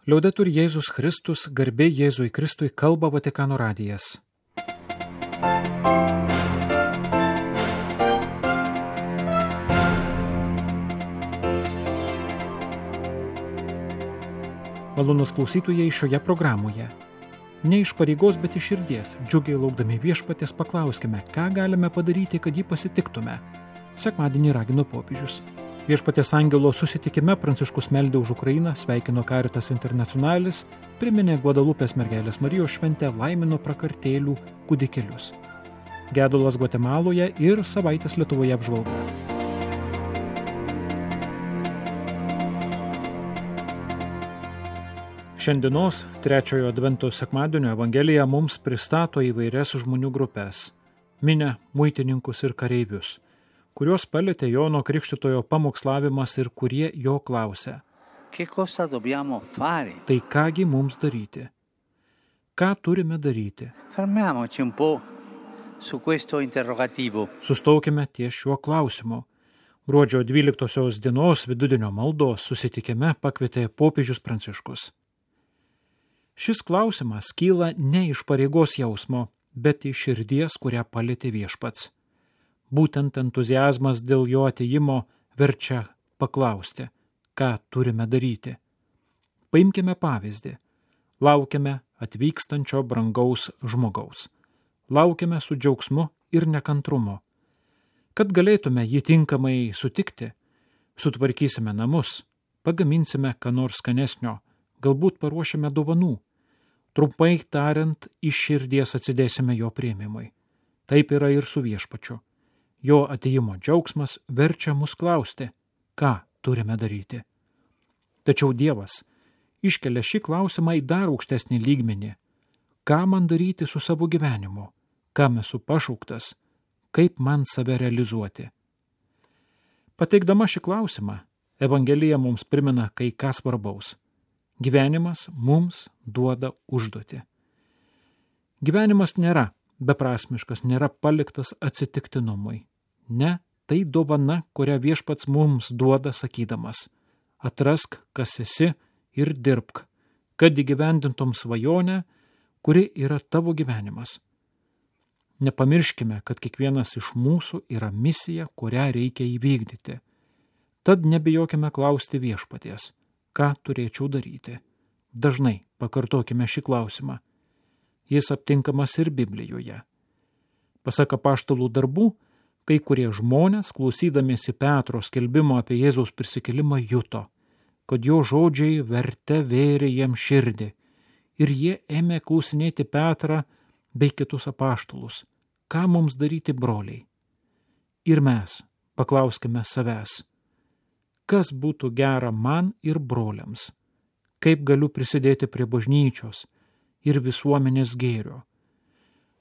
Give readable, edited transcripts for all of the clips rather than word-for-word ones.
Liaudetur Jėzus Kristus, garbė Jėzui Kristui, kalba Vatikano radijas. Malonūs klausytojai šioje programoje. Ne iš pareigos, bet iš širdies, džiugiai laukdami viešpaties, paklauskime, ką galime padaryti, kad jį pasitiktume. Sekmadienį ragino popiežius. Viešpaties angelo susitikime Pranciškus meldė už Ukrainą, sveikino Caritas Internationalis, priminė Guadalupės mergelės Marijos šventę, laimino prakartėlių kūdikėlius. Gedulas Gvatemaloje ir savaitės Lietuvoje apžvalga. Šiandienos trečiojo advento sekmadienio evangelija mums pristato įvairias žmonių grupės – minią, muitininkus ir kareivius, kuriuos palietė Jono Krikštytojo pamokslavimas ir kurie jo klausė. Tai kągi mums daryti? Ką turime daryti? Sustaukime ties šiuo klausimu. Gruodžio 12 dienos vidudienio maldos susitikime pakvietė popiežius Pranciškus. Šis klausimas kyla ne iš pareigos jausmo, bet iš širdies, kurią palietė viešpats. Būtent entuziazmas dėl jo atėjimo verčia paklausti, ką turime daryti. Paimkime pavyzdį. Laukiame atvykstančio brangaus žmogaus. Laukiame su džiaugsmu ir nekantrumu. Kad galėtume jį tinkamai sutikti, sutvarkysime namus, pagaminsime ką nors skanesnio, galbūt paruošime dovanų. Trumpai tariant, iš širdies atsidėsime jo priėmimui. Taip yra ir su viešpačiu. Jo atėjimo džiaugsmas verčia mus klausti, ką turime daryti. Tačiau Dievas iškelia šį klausimą į dar aukštesnį lygmenį. Ką man daryti su savo gyvenimu? Kam esu pašauktas? Kaip man save realizuoti? Pateikdama šį klausimą, Evangelija mums primena kai ką svarbaus. Gyvenimas mums duoda užduotį. Gyvenimas nėra beprasmiškas, nėra paliktas atsitiktinumui. Ne, tai dovana, kurią viešpats mums duoda sakydamas. Atrask, kas esi ir dirbk, kad įgyvendintum svajonę, kuri yra tavo gyvenimas. Nepamirškime, kad kiekvienas iš mūsų yra misija, kurią reikia įvykdyti. Tad nebijokime klausti viešpaties. Ką turėčiau daryti? Dažnai pakartokime šį klausimą. Jis aptinkamas ir Biblijoje. Pasak apaštalų darbų, kai kurie žmonės, klausydamiesi Petro skelbimo apie Jėzaus prisikėlimą, juto, kad jo žodžiai verte vėrė jiems širdį, ir jie ėmė klausinėti Petrą bei kitus apaštalus. Ką mums daryti, broliai? Ir mes paklauskime savęs. Kas būtų gera man ir broliams? Kaip galiu prisidėti prie bažnyčios ir visuomenės gėrio?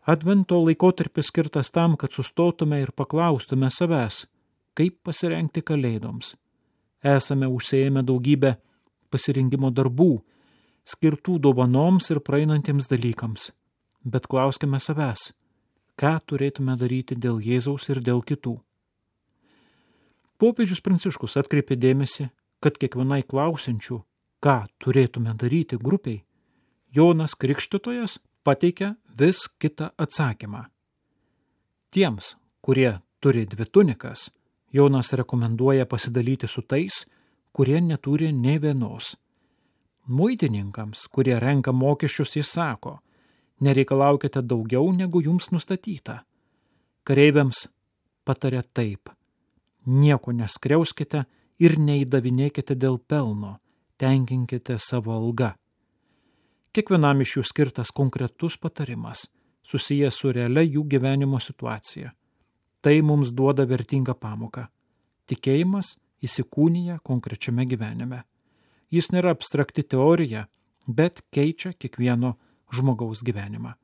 Advento laikotarpis skirtas tam, kad sustotume ir paklaustume savęs, kaip pasirengti kalėdoms. Esame užsiėmę daugybę pasirinkimo darbų, skirtų dovanoms ir praeinantiems dalykams. Bet klauskime savęs, ką turėtume daryti dėl Jėzaus ir dėl kitų. Popiežius Pranciškus atkreipė dėmesį, kad kiekvienai klausiančių, ką turėtume daryti grupiai, Jonas Krikštytojas pateikia vis kitą atsakymą. Tiems, kurie turi 2 tunikas, Jonas rekomenduoja pasidalyti su tais, kurie neturi nė vienos. Muitininkams, kurie renka mokesčius, jis sako, nereikalaukite daugiau, negu jums nustatyta. Kareiviams patarė taip. Nieko neskriauskite ir neįdavinėkite dėl pelno, tenkinkite savo algą. Kiekvienam iš jų skirtas konkretus patarimas, susijęs su realia jų gyvenimo situacija. Tai mums duoda vertingą pamoką. Tikėjimas įsikūnija konkrečiame gyvenime. Jis nėra abstrakti teorija, bet keičia kiekvieno žmogaus gyvenimą.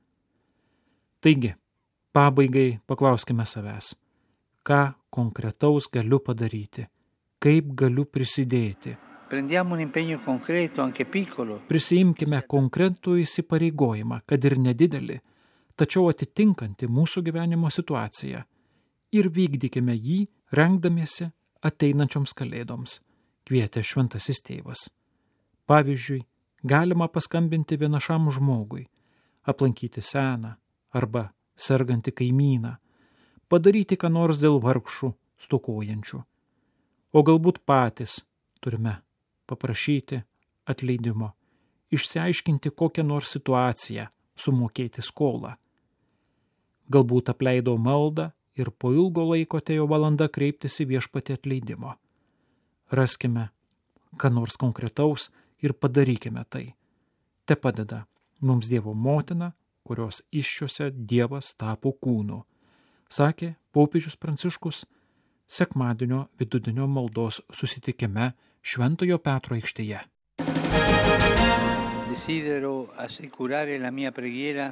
Taigi, pabaigai paklauskime savęs. Ką konkretaus galiu padaryti? Kaip galiu prisidėti? Prisiimkime konkretų įsipareigojimą, kad ir nedidelį, tačiau atitinkantį mūsų gyvenimo situaciją, ir vykdykime jį, rengdamiesi ateinančioms kalėdoms, kvietė šventasis tėvas. Pavyzdžiui, galima paskambinti vienišam žmogui, aplankyti seną arba sergantį kaimyną, padaryti ką nors dėl vargšų, stokojančių. O galbūt patys turime paprašyti atleidimo, išsiaiškinti kokią nors situaciją, sumokėti skolą. Galbūt apleido maldą ir po ilgo laiko atėjo valanda kreiptis į viešpatį atleidimo. Raskime ką nors konkretaus ir padarykime tai. Te padeda mums Dievo motina, kurios iššiose Dievas tapo kūnu, sakė popiežius Pranciškus sekmadienio vidudienio maldos susitikime Šventojo Petro aikštėje. Desidero assicurare la mia preghiera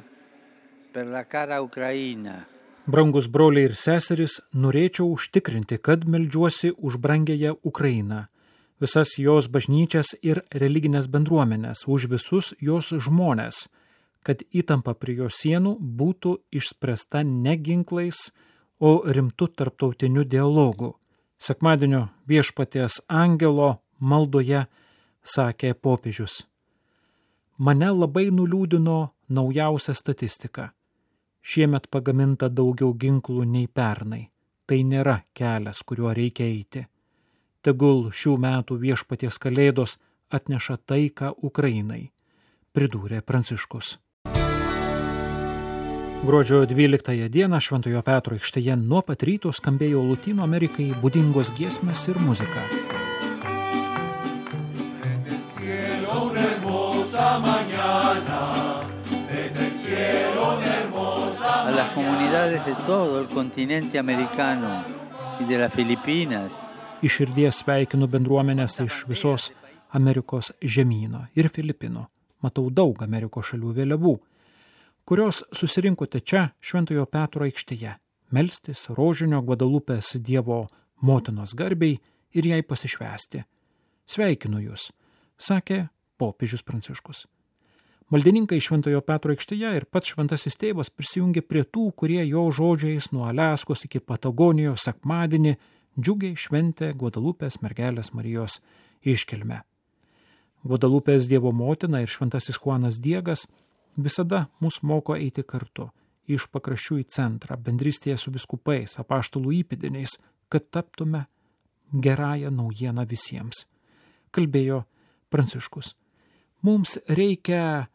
per la cara Ucraina. Brangus broliai ir seserys, norėčiau užtikrinti, kad meldžiuosi už brangiąją Ukrainą, visas jos bažnyčias ir religinės bendruomenės, už visus jos žmonės, kad įtampa prie jos sienų būtų išspręsta ne ginklais, o rimtu tarptautiniu dialogu. Sekmadienio viešpaties angelo maldoje sakė popiežius. Mane labai nuliūdino naujausia statistika. Šiemet pagaminta daugiau ginklų nei pernai. Tai nėra kelias, kuriuo reikia eiti. Tegul šių metų viešpaties kalėdos atneša taiką Ukrainai, pridūrė Pranciškus. Gruodžio 12 dieną Šventojo Petro aikštėje nuo pat ryto skambėjo Lotynų Amerikai būdingos giesmės ir muzika. A las comunidades de todo el continente americano y de las Filipinas. Iš širdies sveikinu bendruomenės iš visos Amerikos žemyno ir Filipinų. Matau daug Amerikos šalių vėliavų, kurios susirinkote čia Šventojo Petro aikštėje, melstis rožinio Gvadalupės Dievo motinos garbei ir jai pasišvęsti. Sveikinu jūs, sakė popiežius Pranciškus. Maldininkai Šventojo Petro aikštėje ir pats šventasis tėvas prisijungė prie tų, kurie jo žodžiais nuo Aliaskos iki Patagonijos sekmadienį džiugiai šventė Gvadalupės mergelės Marijos iškilmę. Gvadalupės Dievo motina ir šventasis Juanas Diegas visada mus moko eiti kartu, iš pakraščių į centrą, bendrystėje su vyskupais, apaštalų įpėdiniais, kad taptume gerąją naujieną visiems. Kalbėjo Pranciškus. Mums reikia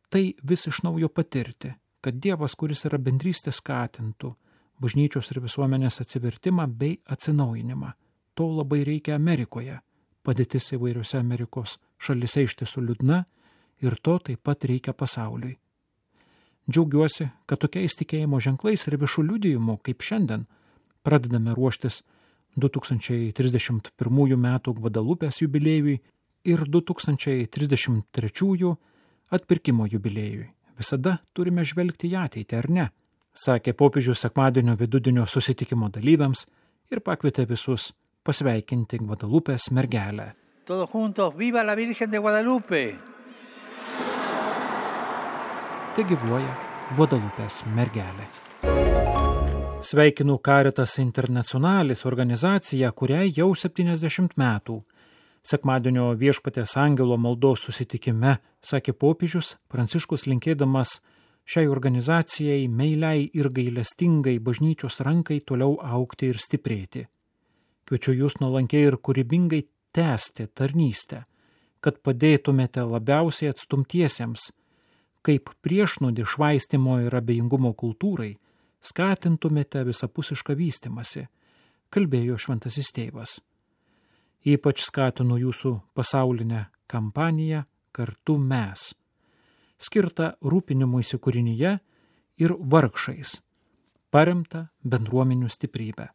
tai vis iš naujo patirti, kad Dievas, kuris yra bendrystė, skatintų bažnyčios ir visuomenės atsivertimą bei atsinaujinimą. To labai reikia Amerikoje. Padėtis įvairiose Amerikos šalyse iš tiesų liūdna ir to taip pat reikia pasauliui. Džiaugiuosi, kad tokiais tikėjimo ženklais ir viešų liudijimų, kaip šiandien, pradedame ruoštis 2031 metų Gvadalupės jubiliejui ir 2033 atpirkimo jubiliejui. Visada turime žvelgti į ateitį, ar ne? Sakė popiežius sekmadienio vidudienio susitikimo dalyviams ir pakvietė visus pasveikinti Gvadalupės mergelę. Todos juntos, viva la Virgen de Guadalupe! Te gyvuoja Gvadalupės mergelė. Sveikinu Caritas Internationalis organizaciją, kuriai jau 70 metų. Sekmadienio viešpatės angelo maldos susitikime, sakė popiežius Pranciškus, linkėdamas šiai organizacijai meiliai ir gailestingai bažnyčios rankai toliau augti ir stiprėti. Kviečiu jūs nuolankiai ir kūrybingai tęsti tarnystę, kad padėtumėte labiausiai atstumtiesiems, kaip priešnodį švaistimo ir abejingumo kultūrai, skatintumėte visapusišką vystimąsi, kalbėjo šventasis tėvas. Ypač skatinu jūsų pasaulinę kampaniją Kartu mes, skirtą rūpinimuisi kūrinyje ir vargšais, paremta bendruomenių stiprybę.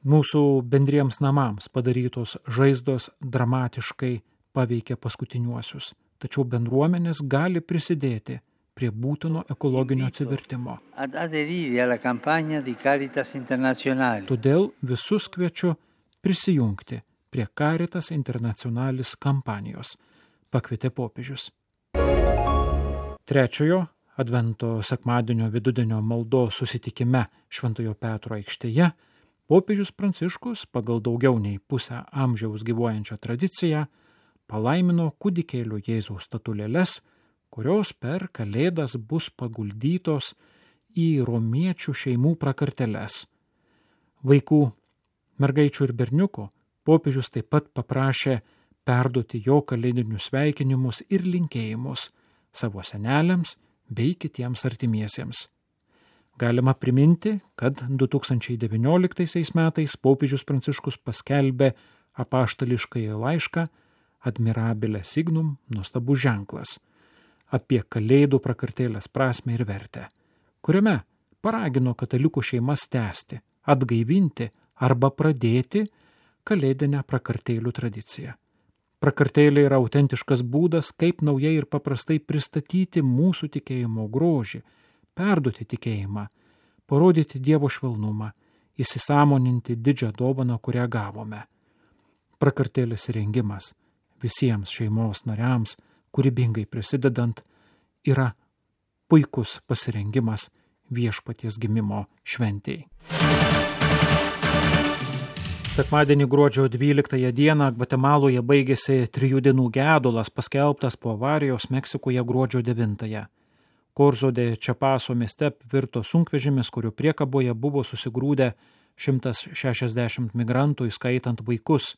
Mūsų bendriems namams padarytos žaizdos dramatiškai paveikė paskutiniuosius, tačiau bendruomenės gali prisidėti prie būtino ekologinio atsivertimo. Todėl visus kviečiu prisijungti prie Caritas Internationalis kampanijos, pakvietė popiežius. Trečiojo advento sekmadienio vidudienio maldos susitikime Šventojo Petro aikštėje popiežius Pranciškus pagal daugiau nei pusę amžiaus gyvuojančią tradiciją palaimino kūdikėlio Jėzaus statulėles, kurios per Kalėdas bus paguldytos į romiečių šeimų prakarteles. Vaikų, mergaičių ir berniukų popiežius taip pat paprašė perduoti jo kalėdinius sveikinimus ir linkėjimus savo seneliams bei kitiems artimiesiems. Galima priminti, kad 2019 metais popiežius Pranciškus paskelbė apaštališkąjį laišką Admirabile Signum, nuostabus ženklas, apie Kalėdų prakartėlės prasmę ir vertę, kuriame paragino katalikų šeimas tęsti, atgaivinti arba pradėti kalėdinę prakartėlių tradiciją. Prakartėlė yra autentiškas būdas, kaip naujai ir paprastai pristatyti mūsų tikėjimo grožį, perduoti tikėjimą, parodyti Dievo švelnumą, įsisąmoninti didžią dovaną, kurią gavome. Prakartėlės rengimas visiems šeimos nariams, kūrybingai prisidedant, yra puikus pasirengimas Viešpaties gimimo šventei. Sekmadienį gruodžio 12 dieną Gvatemaloje baigėsi 3 dienų gedulas, paskelbtas po avarijos Meksikoje gruodžio 9. Korzo de Čiapaso mieste virto sunkvežimis, kurio priekaboje buvo susigrūdę 160 migrantų, įskaitant vaikus,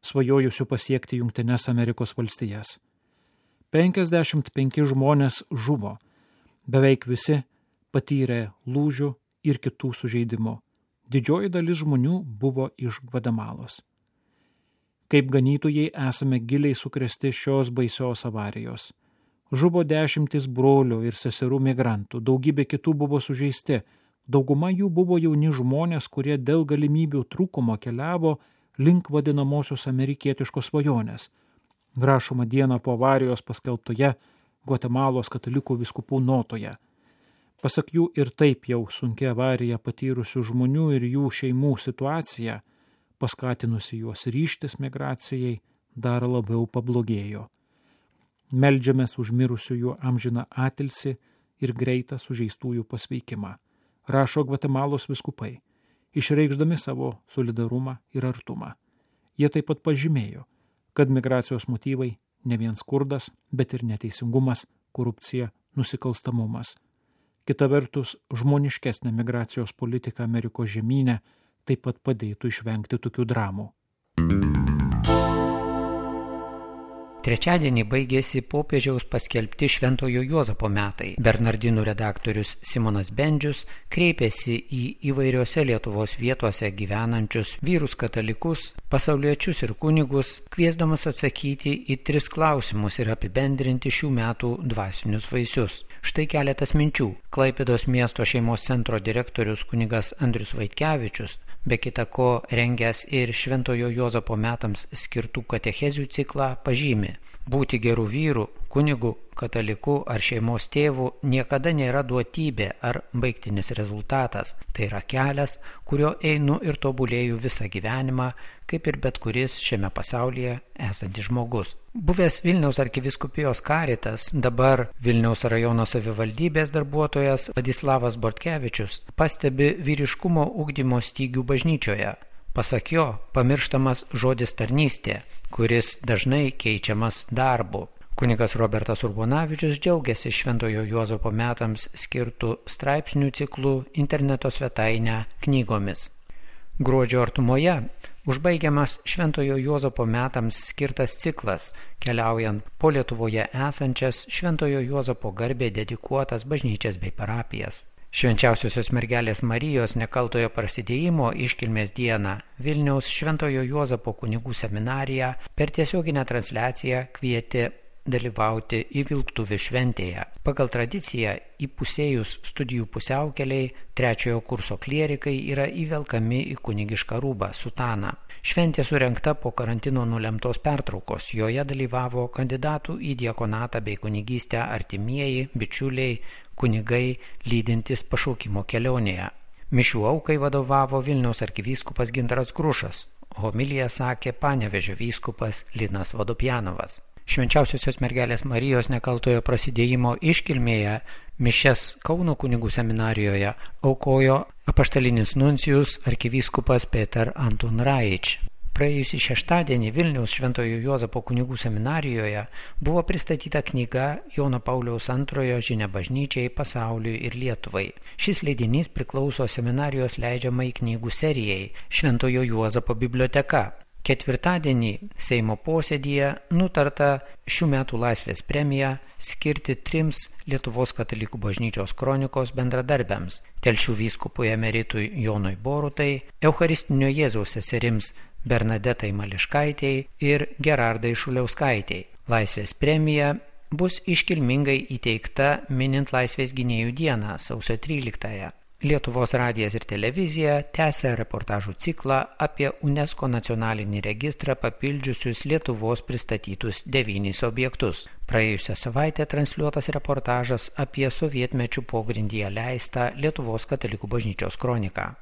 svajojusių pasiekti Jungtines Amerikos valstijas. 55 žmonės žuvo, beveik visi patyrė lūžių ir kitų sužeidimų. Didžioji dalis žmonių buvo iš Gvatemalos. Kaip ganytojai esame giliai sukrėsti šios baisios avarijos. Žuvo 10 brolių ir seserų migrantų, daugybė kitų buvo sužeisti, dauguma jų buvo jauni žmonės, kurie dėl galimybių trūkumo keliavo link vadinamosios amerikietiškos svajonės. Rašoma dieną po avarijos paskelbtoje Gvatemalos katalikų vyskupų notoje. Pasak jų ir taip jau sunkia avarija patyrusių žmonių ir jų šeimų situacija, paskatinusi juos ryžtis migracijai, dar labiau pablogėjo. Meldžiamės už mirusiųjų amžiną atilsį ir greitą sužeistųjų pasveikimą, rašo Gvatemalos vyskupai, išreikšdami savo solidarumą ir artumą. Jie taip pat pažymėjo, kad migracijos motyvai ne vien skurdas, bet ir neteisingumas, korupcija, nusikalstamumas. Kita vertus, žmoniškesnė migracijos politika Amerikos žemyne taip pat padėtų išvengti tokių dramų. Trečiadienį baigėsi popiežiaus paskelbti Šventojo Juozapo metai. Bernardinų redaktorius Simonas Bendžius kreipėsi į įvairiose Lietuvos vietose gyvenančius vyrus katalikus, pasauliečius ir kunigus, kviesdamas atsakyti į 3 klausimus ir apibendrinti šių metų dvasinius vaisius. Štai keletas minčių. Klaipėdos miesto šeimos centro direktorius kunigas Andrius Vaitkevičius, be kita ko rengęs ir Šventojo Juozapo metams skirtų katechezių ciklą, pažymi: būti gerų vyrų, kunigų, katalikų ar šeimos tėvų niekada nėra duotybė ar baigtinis rezultatas. Tai yra kelias, kurio einu ir tobulėju visą gyvenimą, kaip ir bet kuris šiame pasaulyje esantis žmogus. Buvęs Vilniaus arkivyskupijos karitas, dabar Vilniaus rajono savivaldybės darbuotojas Vladislavas Bortkevičius pastebi vyriškumo ugdymo stygių bažnyčioje. Pasak jo, pamirštamas žodis tarnystė, kuris dažnai keičiamas darbu. Kunigas Robertas Urbonavičius džiaugiasi Šventojo Juozapo metams skirtų straipsnių ciklų interneto svetainę knygomis. Gruodžio artumoje užbaigiamas Šventojo Juozapo metams skirtas ciklas, keliaujant po Lietuvoje esančias Šventojo Juozapo garbei dedikuotas bažnyčias bei parapijas. Švenčiausiosios mergelės Marijos nekaltojo prasidėjimo iškilmės dieną Vilniaus Šventojo Juozapo kunigų seminarija per tiesioginę transliaciją kvietė dalyvauti į Vilktuvių šventėje. Pagal tradiciją įpusėjus studijų pusiaukeliai 3 kurso klierikai yra įvelkami į kunigišką rūbą sutaną. Šventė surengta po karantino nulemtos pertraukos. Joje dalyvavo kandidatų į diakonatą bei kunigystę artimieji, bičiuliai, kunigai lydintys pašaukimo kelionėje. Mišių aukai vadovavo Vilniaus arkivyskupas Gintaras Grušas, homiliją sakė Panevėžio vyskupas Linas Vodopjanovas. Švenčiausiosios mergelės Marijos nekaltojo prasidėjimo iškilmėje mišias Kauno kunigų seminarijoje aukojo apaštalinis nuncijus arkivyskupas Peter Anton Raič. Praėjusį šeštadienį Vilniaus Šventojo Juozapo kunigų seminarijoje buvo pristatyta knyga Jono Pauliaus II žinia bažnyčiai, pasauliui ir Lietuvai. Šis leidinys priklauso seminarijos leidžiamai knygų serijai Šventojo Juozapo biblioteka. Ketvirtadienį Seimo posėdyje nutarta šių metų Laisvės premiją skirti 3 Lietuvos katalikų bažnyčios kronikos bendradarbiams – Telšių vyskupui emeritui Jonui Borutai, Eucharistinio Jėzaus seserims Bernadetai Mališkaitei ir Gerardai Šuliauskaitei. Laisvės premija bus iškilmingai įteikta minint Laisvės gynėjų dieną sausio 13-ąją. Lietuvos radijas ir televizija tęsia reportažų ciklą apie UNESCO nacionalinį registrą papildžiusius Lietuvos pristatytus 9 objektus. Praėjusią savaitę transliuotas reportažas apie sovietmečių pogrindyje leistą Lietuvos katalikų bažnyčios kroniką.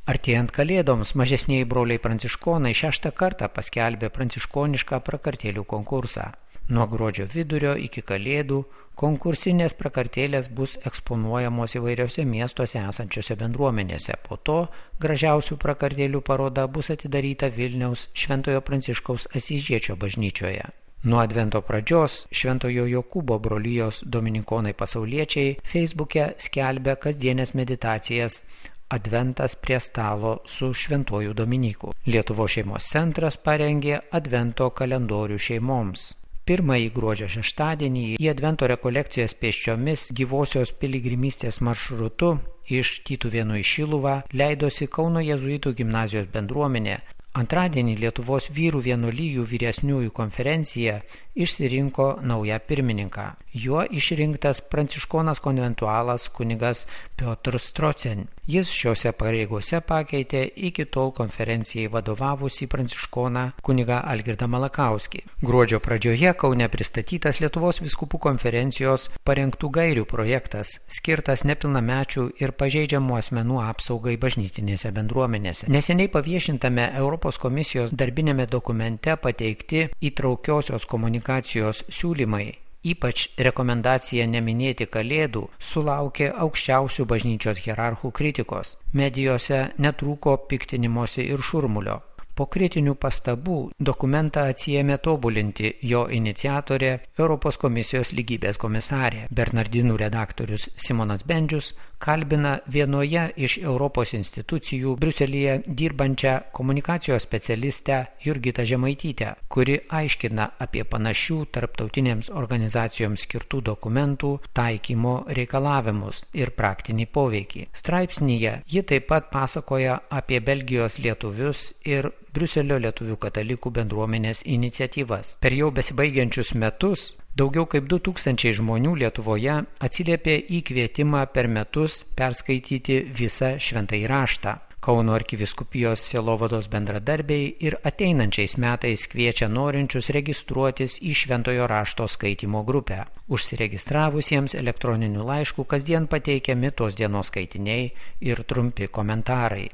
Artėjant kalėdoms, mažesnieji broliai pranciškonai 6 kartą paskelbė pranciškonišką prakartėlių konkursą. Nuo gruodžio vidurio iki kalėdų konkursinės prakartėlės bus eksponuojamos įvairiose miestuose esančiose bendruomenėse. Po to gražiausių prakartėlių paroda bus atidaryta Vilniaus Šventojo Pranciškaus Asyžiečio bažnyčioje. Nuo advento pradžios Šventojo Jokūbo brolijos dominikonai pasauliečiai Facebook'e skelbia kasdienės meditacijas Adventas prie stalo su Šventuoju Dominiku. Lietuvos šeimos centras parengė advento kalendorių šeimoms. Pirmąjį gruodžio šeštadienį į advento rekolekcijas pėsčiomis gyvosios piligrimystės maršrutu iš Tytuvėnų į Šiluvą leidosi Kauno jėzuitų gimnazijos bendruomenė. Antradienį Lietuvos vyrų vienuolijų vyresniųjų konferencija išsirinko naują pirmininką. Juo išrinktas pranciškonas konventualas kunigas Piotr Strocen. Jis šiose pareigose pakeitė iki tol konferencijai vadovavusį pranciškoną kunigą Algirdą Malakauskį. Gruodžio pradžioje Kaune pristatytas Lietuvos vyskupų konferencijos parengtų gairių projektas, skirtas nepilnamečių ir pažeidžiamų asmenų apsaugai bažnytinėse bendruomenėse. Neseniai paviešintame Europos komisijos darbinėme dokumente pateikti įtraukiosios komunikacijos siūlymai, ypač rekomendacija neminėti kalėdų, sulaukė aukščiausių bažnyčios hierarchų kritikos. Medijose netrūko piktinimosi ir šurmulio. Po kritinių pastabų dokumentą atsiėmė tobulinti jo iniciatorė Europos komisijos lygybės komisarė. Bernardinų redaktorius Simonas Bendžius kalbina vienoje iš Europos institucijų Briuselyje dirbančią komunikacijos specialistę Jurgitą Žemaitytę, kuri aiškina apie panašių tarptautinėms organizacijoms skirtų dokumentų taikymo reikalavimus ir praktinį poveikį. Straipsnyje ji taip pat pasakoja apie Belgijos lietuvius ir Briuselio lietuvių katalikų bendruomenės iniciatyvas. Per jau besibaigiančius metus daugiau kaip 2000 žmonių Lietuvoje atsiliepė į kvietimą per metus perskaityti visą šventąjį raštą. Kauno arkivyskupijos sielovados bendradarbiai ir ateinančiais metais kviečia norinčius registruotis į šventojo rašto skaitymo grupę. Užsiregistravusiems elektroniniu laišku kasdien pateikiami tos dienos skaitiniai ir trumpi komentarai.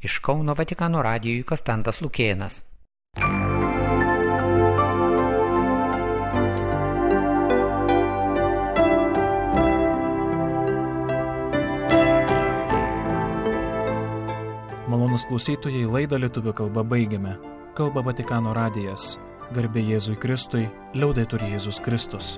Iš Kauno Vatikano radijui Kastantas Lukėnas. Malonūs klausytojai, laidą lietuvių kalba baigiame. Kalba Vatikano radijas. Garbė Jėzui Kristui, liaudetur Jėzus Kristus.